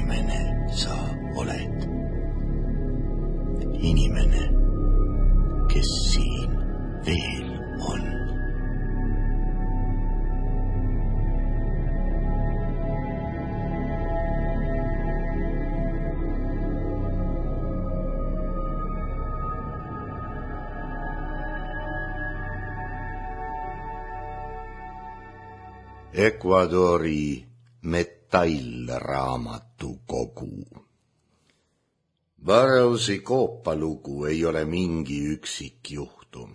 inimene sa oled? Inimene, kes siin veel on. Ecuadori metallraamatukogu. Burroughsi koopalugu ei ole mingi üksik juhtum.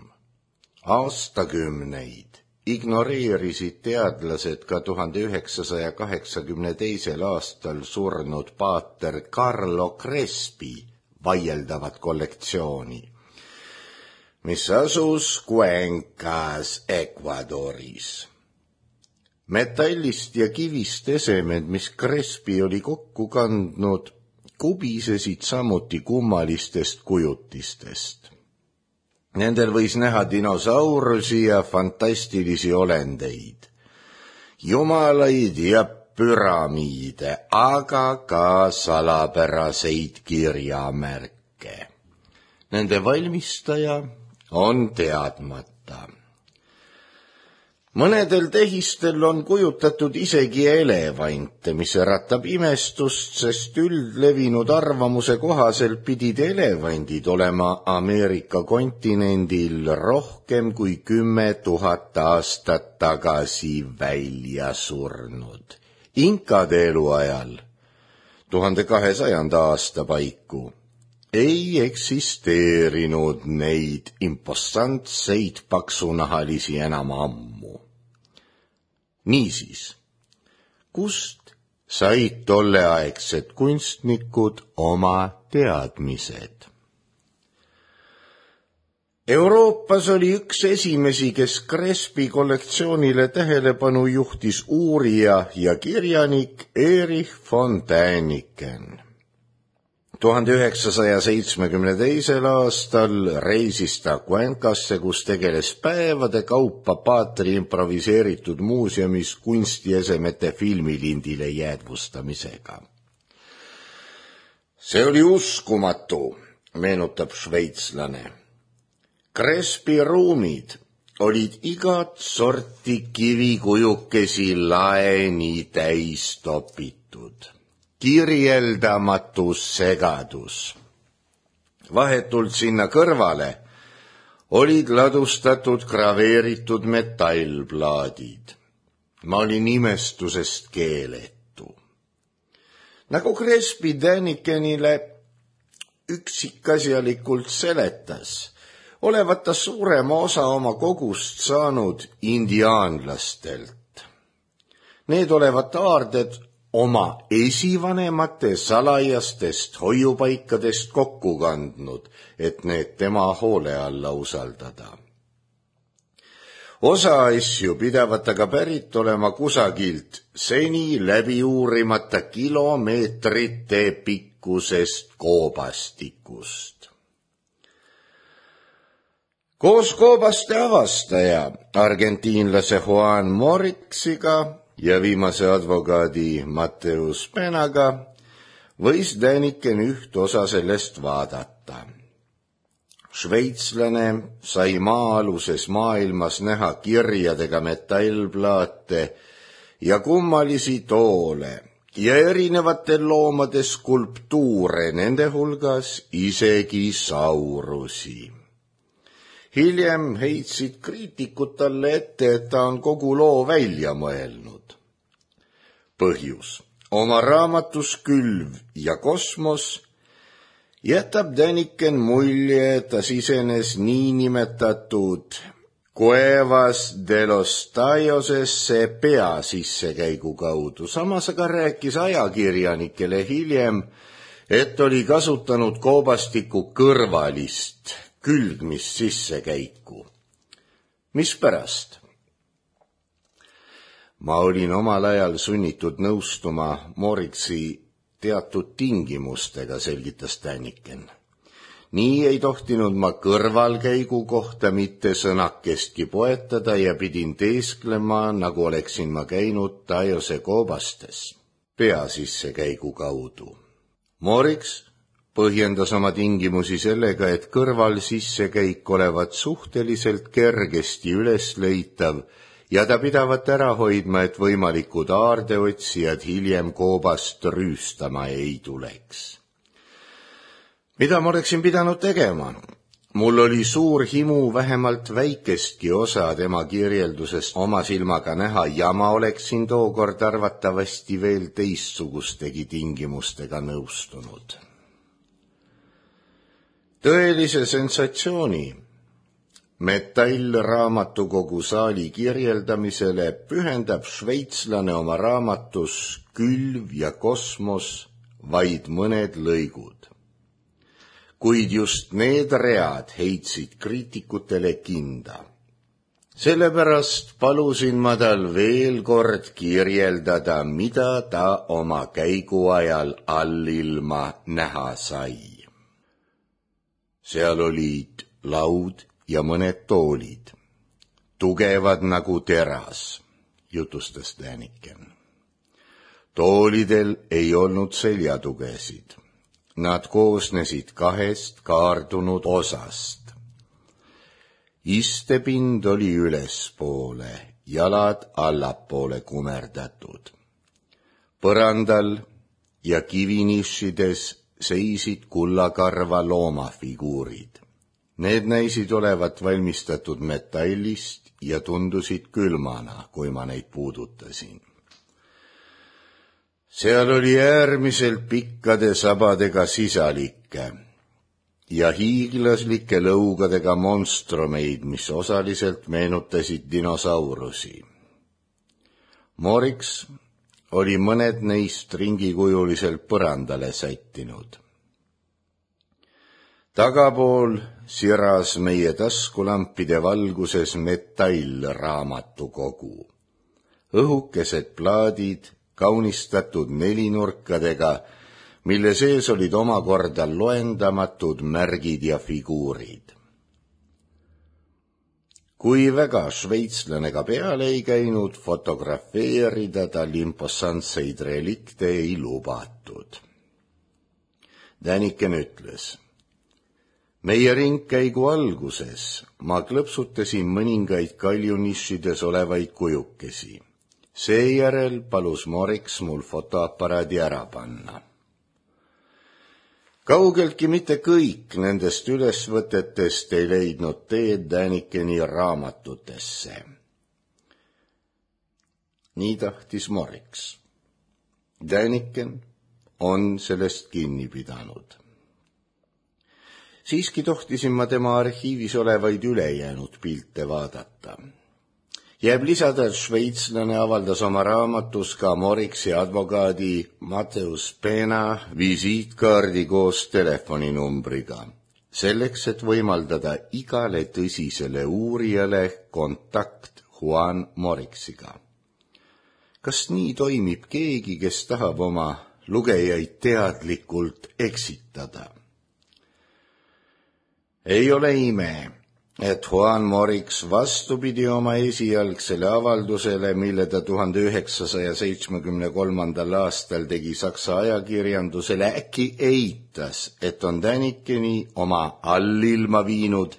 Aastakümneid ignoreerisid teadlased ka 1982. aastal surnud paater Carlo Crespi vaieldavat kollektsiooni, mis asus Cuencas, Ecuadoris. Metallist ja kivist esemed, mis Crespi oli kokku kandnud, kubisesid samuti kummalistest kujutistest. Nendel võis näha dinosaurusi ja fantastilisi olendeid, jumalaid ja püramiide, aga ka salapäraseid kirjamärke. Nende valmistaja on teadmata. Mõnedel tehistel on kujutatud isegi elevante, mis äratab imestust, sest üldlevinud arvamuse kohaselt pidid elevandid olema Ameerika kontinendil rohkem kui 10 000 aastat tagasi välja surnud. Inkade eluajal, 1200. aasta paiku, ei eksisteerinud neid impostantseid paksunahalisi enam ammu. Niisiis, kust said tolleaegsed kunstnikud oma teadmised? Euroopas oli üks esimesi, kes Crespi kollektsioonile tähelepanu juhtis, uurija ja kirjanik Erich von Däniken. 1972. aastal reisis ta Cuencasse, kus tegeles päevade kaupa paatri improviseeritud muuseumis kunstiesemete filmilindile jäädvustamisega. See oli uskumatu, meenutab šveitslane. Crespi ruumid olid igat sorti kivikujukesi laeni täis topitud. Kirjeldamatu segadus. Vahetult sinna kõrvale olid ladustatud graveeritud metallplaadid. Ma olin imestusest keeletu. Nagu Crespi Dänikenile üksikasjalikult seletas, olevat ta suurema osa oma kogust saanud indiaanlastelt. Need olevat aarded oma esivanemate salajastest hoiupaikadest kokku kandnud, et need tema hoole alla usaldada. Osa asju pidavat aga pärit olema kusagilt seni läbi uurimata kilomeetrite pikkusest koobastikust. Koos koobaste avastaja, argentiinlase Juan Morixiga ja viimase advokaadi Mateus Penaga võis Däniken üht osa sellest vaadata. Šveitslane sai maa-aluses maailmas näha kirjadega metallplaate ja kummalisi toole ja erinevatel loomade skulptuure, nende hulgas isegi saurusi. Hiljem heitsid kriitikud talle ette, et ta on kogu loo välja mõelnud. Põhjus. Oma raamatus Külv ja kosmos jätab Däniken mulje, et ta sisenes niinimetatud Cuevas de los Taiosesse pea sissekäigu kaudu. Samas aga rääkis ajakirjanikele hiljem, et oli kasutanud koobastiku kõrvalist külgmist sissekäiku. Mispärast? Ma olin omal ajal sunnitud nõustuma Morixi teatud tingimustega, selgitas Däniken. Nii ei tohtinud ma kõrvalkäigu kohta mitte sõnakestki poetada ja pidin teesklema, nagu oleksin ma käinud Taiose koobastes. pea sissekäigu kaudu. Moriks põhjendas oma tingimusi sellega, et kõrval sissekäik olevat suhteliselt kergesti ülesleitav ja ta pidavat ära hoidma, et võimalikud aardeotsijad hiljem koobast rüüstama ei tuleks. Mida ma oleksin pidanud tegema? Mul oli suur himu vähemalt väikestki osa tema kirjeldusest oma silmaga näha ja ma oleksin tookord arvatavasti veel teistsugustegi tingimustega nõustunud. Tõelise sensatsiooni metallraamatukogu saali kirjeldamisele pühendab šveitslane oma raamatus Külv ja kosmos vaid mõned lõigud. Kuid just need read heitsid kriitikutele kinda. Sellepärast palusin ma tal veel kord kirjeldada, mida ta oma käigu ajal allilma näha sai. Seal olid laud ja mõned toolid, tugevad nagu teras, jutustas Däniken. Toolidel ei olnud seljatugesid. Nad koosnesid 2 kaardunud osast. Istepind oli ülespoole, jalad allapoole kumerdatud. Põrandal ja kivinišides seisid kullakarva loomafiguurid. Need näisid olevat valmistatud metallist ja tundusid külmana, kui ma neid puudutasin. Seal oli äärmiselt pikkade sabadega sisalikke ja hiiglaslike lõugadega monstrumeid, mis osaliselt meenutasid dinosaurusi. Moriks oli mõned neist ringikujuliselt põrandale sättinud. Tagapool siras meie taskulampide valguses metallraamatukogu. Õhukesed plaadid, kaunistatud 4-nurkadega, mille sees olid omakorda loendamatud märgid ja figuurid. Kui väga šveitslane ka peale ei käinud, fotografeerida tal impossantseid relikte ei lubatud. Däniken ütles: meie ringkäigu alguses ma klõpsutasin mõningaid kaljunišides olevaid kujukesi. Seejärel palus Moriks mul fotoaparaadi ära panna. Kaugeltki mitte kõik nendest ülesvõtetest ei leidnud teed Dänikeni raamatutesse. Nii tahtis Moriks. Däniken on sellest kinni pidanud. Siiski tohtisin ma tema arhiivis olevaid ülejäänud pilte vaadata. Jääb lisada, et šveitslane avaldas oma raamatus ka Moriksi advokaadi Mateus Pena visiitkaardi koos telefoninumbriga, selleks, et võimaldada igale tõsisele uurijale kontakt Juan Moriksiga. Kas nii toimib keegi, kes tahab oma lugejaid teadlikult eksitada? Ei ole ime, et Juan Moriks vastupidi oma esialgsele avaldusele, mille ta 1973. aastal tegi Saksa ajakirjandusele, äkki eitas, et on Dänikeni oma allilma viinud,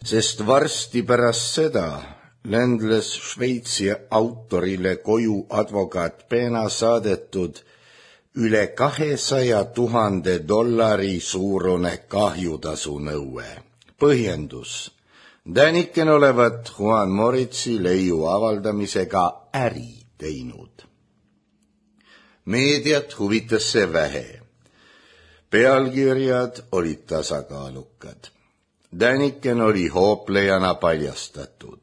sest varsti pärast seda ländles Šveitsi autorile koju advokaat Pena saadetud üle $200,000 suurune kahjutasu nõue. Põhjendus: Däniken olevat Juan Moritsi leiu avaldamisega äri teinud. Meediat huvitas see vähe. Pealkirjad olid tasakaalukad. Däniken oli hooplejana paljastatud.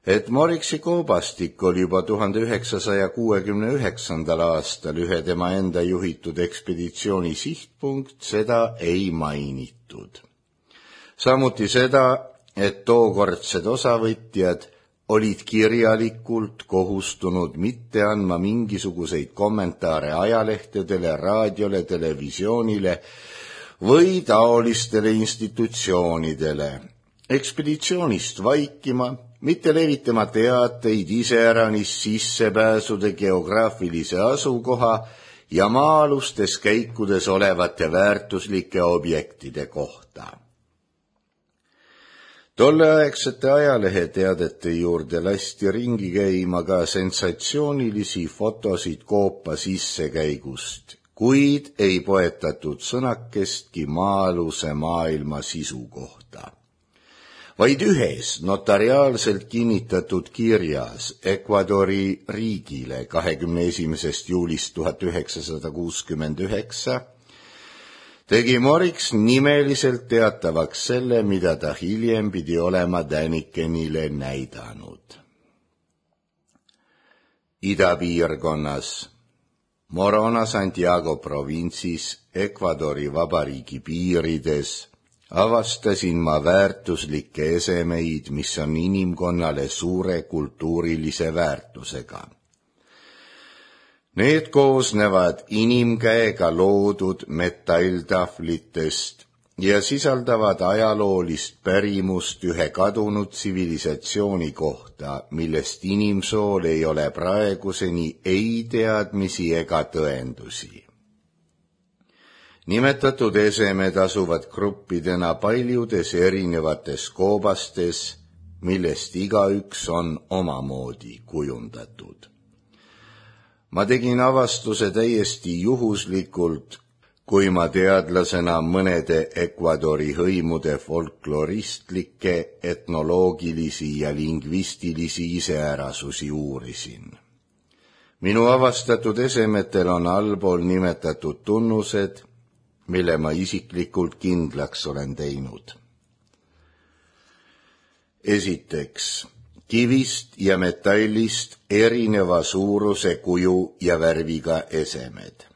Et Moriksi koobastik oli juba 1969. aastal ühe tema enda juhitud ekspeditsiooni sihtpunkt, seda ei mainitud. Samuti seda, et tookordsed osavõtjad olid kirjalikult kohustunud mitte andma mingisuguseid kommentaare ajalehtedele, raadiole, televisioonile või taolistele institutsioonidele, ekspeditsioonist vaikima mitte levitama teateid iseäranis sissepääsude geograafilise asukoha ja maa-alustes käikudes olevate väärtuslike objektide kohta. Tolleaegsete ajaleheteadete juurde lasti ringi käima ka sensatsioonilisi fotosid koopa sissekäigust, kuid ei poetatud sõnakestki maa-aluse maailma sisu kohta. Vaid ühes notariaalselt kinnitatud kirjas Ecuadori riigile 21. juulist 1969 tegi Morix nimeliselt teatavaks selle, mida ta hiljem pidi olema Dänikenile näidanud. Idapiirkonnas, Morona Santiago provintsis, Ecuadori vabariigi piirides avastasin ma väärtuslikke esemeid, mis on inimkonnale suure kultuurilise väärtusega. Need koosnevad inimkäega loodud metalltahvlitest ja sisaldavad ajaloolist pärimust ühe kadunud tsivilisatsiooni kohta, millest inimsool ei ole praeguseni ei teadmisi ega tõendusi. Nimetatud esemed asuvad gruppidena paljudes erinevates koobastes, millest igaüks on omamoodi kujundatud. Ma tegin avastuse täiesti juhuslikult, kui ma teadlasena mõnede Ecuadori hõimude folkloristlikke, etnoloogilisi ja lingvistilisi iseärasusi uurisin. Minu avastatud esemetel on allpool nimetatud tunnused, mille ma isiklikult kindlaks olen teinud. Esiteks, kivist ja metallist erineva suuruse, kuju ja värviga esemed.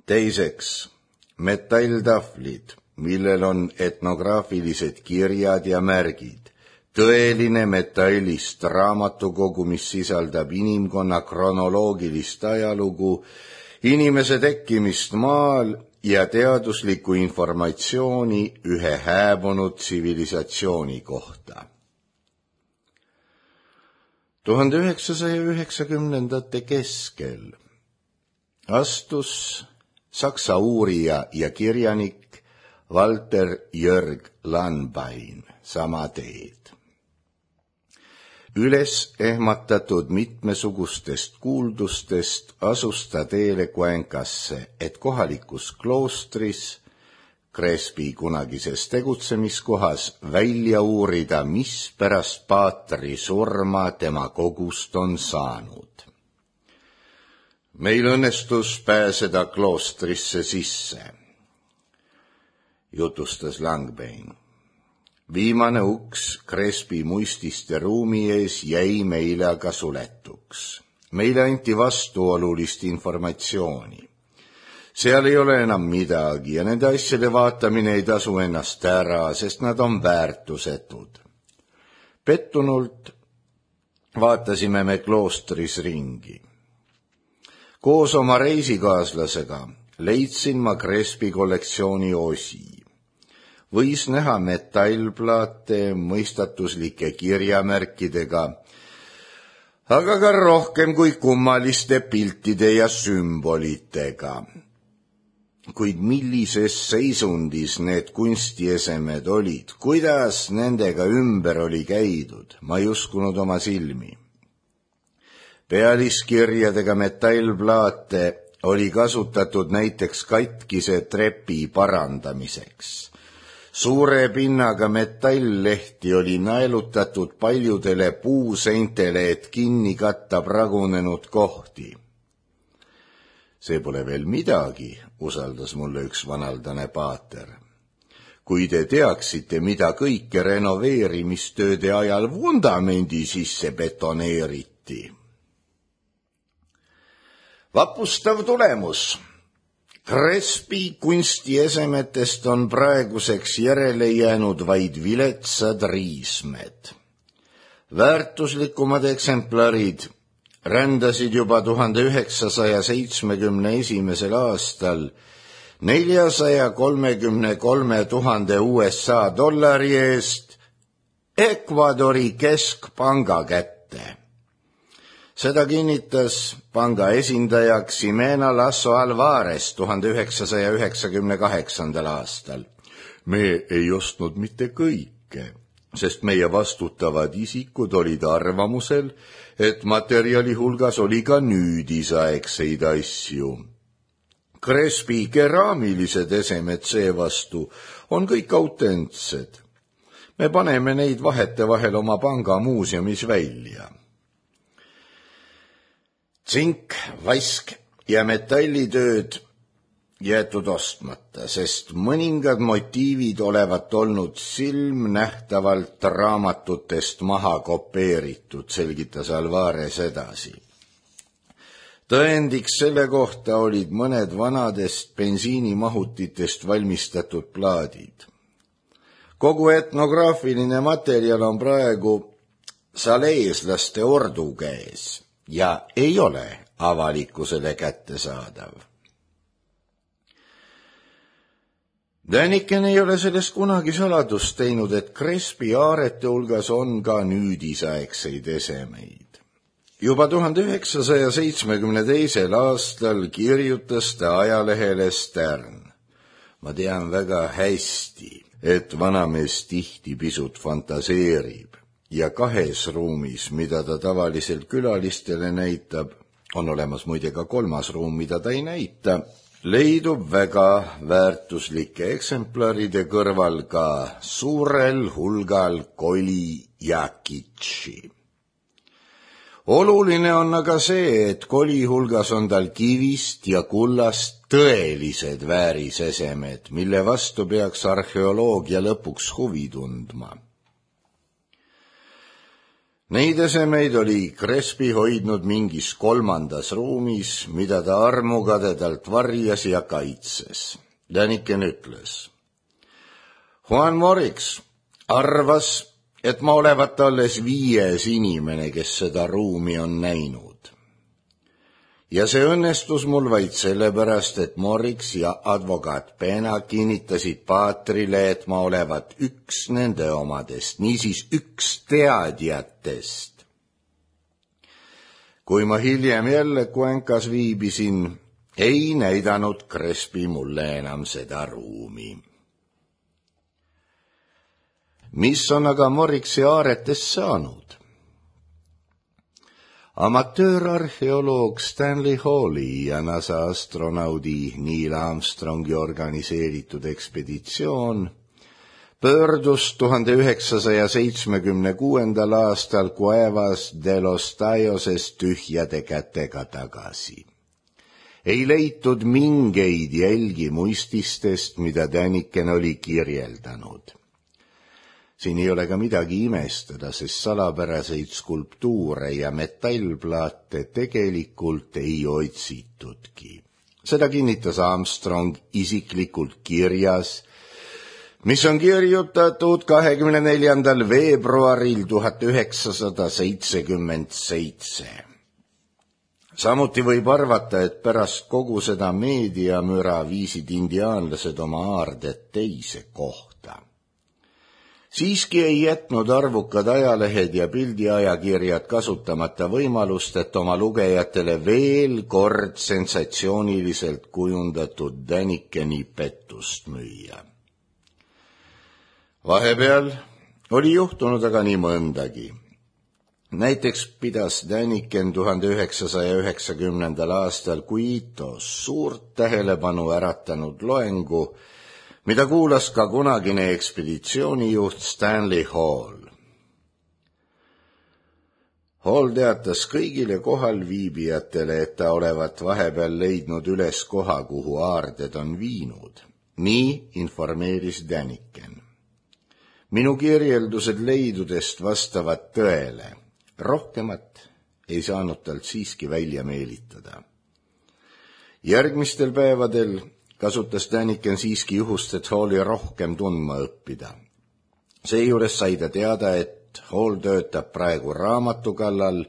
Teiseks, metalltahvlid, millel on etnograafilised kirjad ja märgid, tõeline metallist raamatukogu, mis sisaldab inimkonna kronoloogilist ajalugu, inimese tekkimist maal ja teaduslikku informatsiooni ühe hääbunud tsivilisatsiooni kohta. 1990. keskel astus Saksa uurija ja kirjanik Walter Jörg Lanbain sama teed. Üles ehmatatud mitmesugustest kuuldustest asus ta teele Cuencasse, et kohalikus kloostris, Crespi kunagises tegutsemiskohas, välja uurida, mis pärast paatri surma tema kogust on saanud. Meil õnnestus pääseda kloostrisse sisse, jutustas Lanbain. Viimane uks Crespi muististe ruumi ees jäi meile aga suletuks. Meile anti vastuolulist informatsiooni. Seal ei ole enam midagi ja nende asjade vaatamine ei tasu ennast ära, sest nad on väärtusetud. Pettunult vaatasime me kloostris ringi. Koos oma reisikaaslasega leidsin ma Crespi kollektsiooni osi. Võis näha metallplaate mõistatuslike kirjamärkidega, aga ka rohkem kui kummaliste piltide ja sümbolitega. Kuid millises seisundis need kunstiesemed olid, kuidas nendega ümber oli käidud, ma ei uskunud oma silmi. Pealiskirjadega metallplaate oli kasutatud näiteks katkise trepi parandamiseks. Suure pinnaga metalllehti oli naelutatud paljudele puuseintele, et kinni katta pragunenud kohti. See pole veel midagi, usaldas mulle üks vanaldane paater. Kui te teaksite, mida kõike renoveerimistööde ajal vundamendi sisse betoneeriti. Vapustav tulemus. Crespi kunstiesemetest on praeguseks järele jäänud vaid viletsad riismed. Väärtuslikumad eksemplarid rändasid juba 1971. aastal 433 000 USA dollari eest Ecuadori keskpanga kätte. Seda kinnitas panga esindaja Ximena Lasso Alvarez 1998. aastal. Me ei ostnud mitte kõike, sest meie vastutavad isikud olid arvamusel, et materjali hulgas oli ka nüüdisaegseid asju. Crespi keraamilised esemed seevastu on kõik autentsed. Me paneme neid vahetevahel oma panga muuseumis välja. Tsink, vask ja metallitööd jäetud ostmata, sest mõningad motiivid olevat olnud silmnähtavalt raamatutest maha kopeeritud, selgitas Alvarez edasi. Tõendiks selle kohta olid mõned vanadest bensiinimahutitest valmistatud plaadid. Kogu etnograafiline materjal on praegu saleeslaste ordu käes ja ei ole avalikkusele kättesaadav. Däniken ei ole sellest kunagi saladust teinud, et Crespi aarete hulgas on ka nüüdisaegseid esemeid. Juba 1972. aastal kirjutas ta ajalehele Stern. Ma tean väga hästi, et vanamees tihti pisut fantaseerib ja kahes ruumis, mida ta tavaliselt külalistele näitab, on olemas muide ka kolmas ruum, mida ta ei näita, leidub väga väärtuslike eksemplaride kõrval ka suurel hulgal koli ja kitši. Oluline on aga see, et koli hulgas on tal kivist ja kullast tõelised väärisesemed, mille vastu peaks arheoloogia lõpuks huvi tundma. Neid esemeid oli Crespi hoidnud mingis kolmandas ruumis, mida ta armukadedalt varjas ja kaitses. Däniken ütles. Juan Morix arvas, et ma olevat alles 5. inimene, kes seda ruumi on näinud. Ja see õnnestus mul vaid sellepärast, et Morix ja advokaat Pena kinnitasid paatrile, et ma olevat üks nende omadest, niisiis üks teadjatest. Kui ma hiljem jälle Cuencas viibisin, ei näidanud Crespi mulle enam seda ruumi. Mis on aga Morixi aaretest saanud? Amatöörarheoloog Stanley Halli ja NASA astronaudi Neil Armstrongi organiseeritud ekspeditsioon pöördus 1976. aastal Cuevas de los Tayoses tühjade kätega tagasi. Ei leitud mingeid jälgi muististest, mida Däniken oli kirjeldanud. Siin ei ole ka midagi imestada, sest salapäraseid skulptuure ja metallplaate tegelikult ei otsitudki. Seda kinnitas Armstrong isiklikult kirjas, mis on kirjutatud 24. veebruaril 1977. Samuti võib arvata, et pärast kogu seda meediamüra viisid indiaanlased oma aarded teise kohta. Siiski ei jätnud arvukad ajalehed ja pildiajakirjad kasutamata võimalust, et oma lugejatele veel kord sensatsiooniliselt kujundatud Dänikeni pettust müüa. Vahepeal oli juhtunud aga nii mõndagi. Näiteks pidas Däniken 1990. aastal Quitos suurt tähelepanu äratanud loengu, mida kuulas ka kunagine ekspeditsioonijuht Stanley Hall. Hall teatas kõigile kohalviibijatele, et ta olevat vahepeal leidnud üles koha, kuhu aarded on viinud. Nii informeeris Däniken. Minu kirjeldused leidudest vastavad tõele. Rohkemat ei saanud talt siiski välja meelitada. Järgmistel päevadel kasutas Däniken siiski juhust, et Halli rohkem tundma õppida. Seejuures sai ta teada, et Hall töötab praegu raamatu kallal,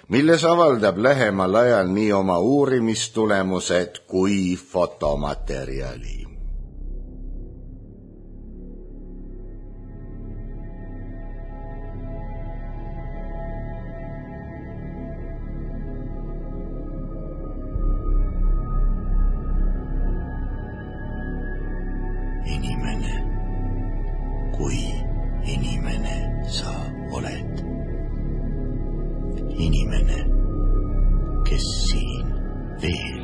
milles avaldab lähemal ajal nii oma uurimistulemused kui fotomaterjali. inimene sa oled. Inimene, kes siin veel